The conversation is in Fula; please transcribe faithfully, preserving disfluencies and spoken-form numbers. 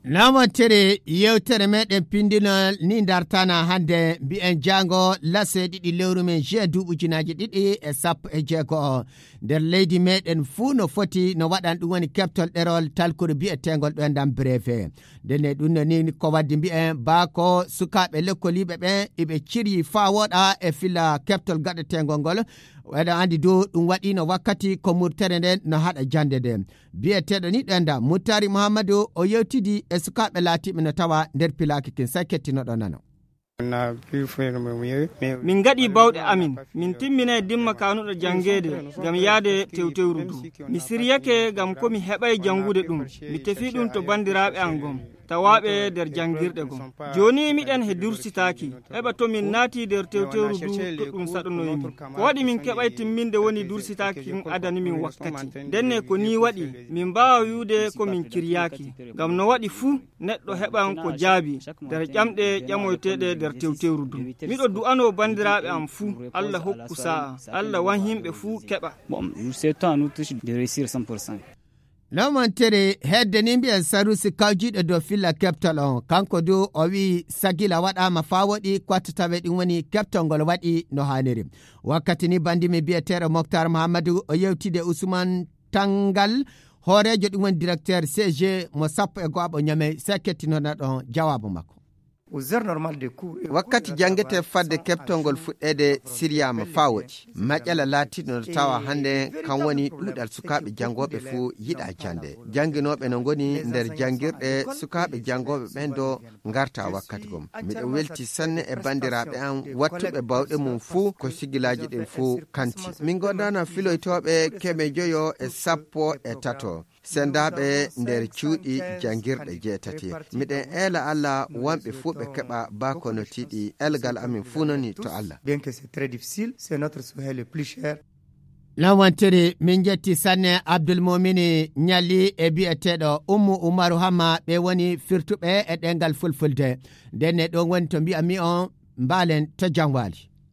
Namantere yewtere meɗen pindinol ni dartana hannde, mbiyen jaango lase ɗiɗi lewru men juin duuɓi ujunaaji ɗiɗi e sappo e jeego o. Nder leydi meɗen fuu no foti no waɗan ɗum woni keɓtol ɗerol talkuru biyeteengol ɗo ndam breve. Ndenne ɗum no ni ko waddi mbiyen baako sukaaɓe lekkoliiɓe ɓen iɓe ciryi faa wooɗa e fila keɓtol gaɗeteengol ngol. Eɗen anndi dow ɗum waɗiino wakkati ko murtere nden no haɗa jannde nden. Biyeteeɗo ni ɗo ndam Muttari Muhammadu o yewtidi e sukaaɓe laatiiɓe no tawa nder pilaaki kin, sai kettinoɗo nano. Min ngaɗi bawɗe amin, min timminay dimma kanuɗo janngeede ngam yaade tewtewru du. Mi siryake ngam ko mi heɓay janngude ɗum, mi tefi ɗum to banndiraaɓe an gom, tawaaɓe nder janngirɗe gom. Jooni miɗen he dursitaaki, heɓa to min naati nder tewtewru du to ɗum saɗanoyi min. Ko waɗi min keɓay timminde woni dursitaaki kin adani min wakkati. Ndenne ko nii waɗi, min mbaawa wi'ude ko min ciryaaki, ngam no waɗi fuu, neɗɗo heɓan ko jaabi nder ƴamɗe ƴamoyteeɗe nder tewtewru du. Miɗo du'anoo banndiraaɓe am fuu, Allah hokku sa'a, Allah wan himɓe fuu keɓa. Bon, c'est toi, nous tous de réussir cent pour cent. Lamantere hedde ni mbiyen sarusi kawjiiɗo dow filla keɓtol on, kanko du o wi'i sagila waɗaama faa woɗi ko watta tawe ɗum woni keɓtol ngol waɗi no haaniri. Wakkati ni banndi mi biyeteeɗo Moktar Muhammadu o yewtide Usman Tangal, hooreejo ɗum woni directeur C G mo sappo e go'aɓo Ñamey, sai kettinoɗon jawaabu makko. Wakkati janngete fadde keɓtol ngol fuɗɗeede siryaama faa woɗi. Maƴƴala laatiiɗo no tawa hannde kan woni ɗuuɗal sukaaɓe janngooɓe fuu yiɗa jannde. Jannginooɓe no ngoni nder janngirɗe, sukaaɓe janngooɓe ɓen do ngarta wakkati gom. Miɗo welti sanne e banndiraaɓe am wattuɓe bawɗe mum fuu ko sigilaaji ɗin fuu kanti. Min gondaana filoytooɓe keme joyo e sappo e tato. Sendaaɓe nder cuuɗi janngirɗe jeetati. Miɗen eela Allah wonɓe fuu ɓe keɓa baa kono tiiɗi, elgal amin fuu noni to Allah. Bien que c'est très difficile, c'est notre souhait le plus cher. Lamantere min jetti sanne Abdul Mumini Ñalli e biyeteeɗo Ummu Umaru Hamma, ɓe woni firtuɓe e ɗengal fulfulde. Ndenne ɗon woni to mbi'anmi on mbaalen to jam waali.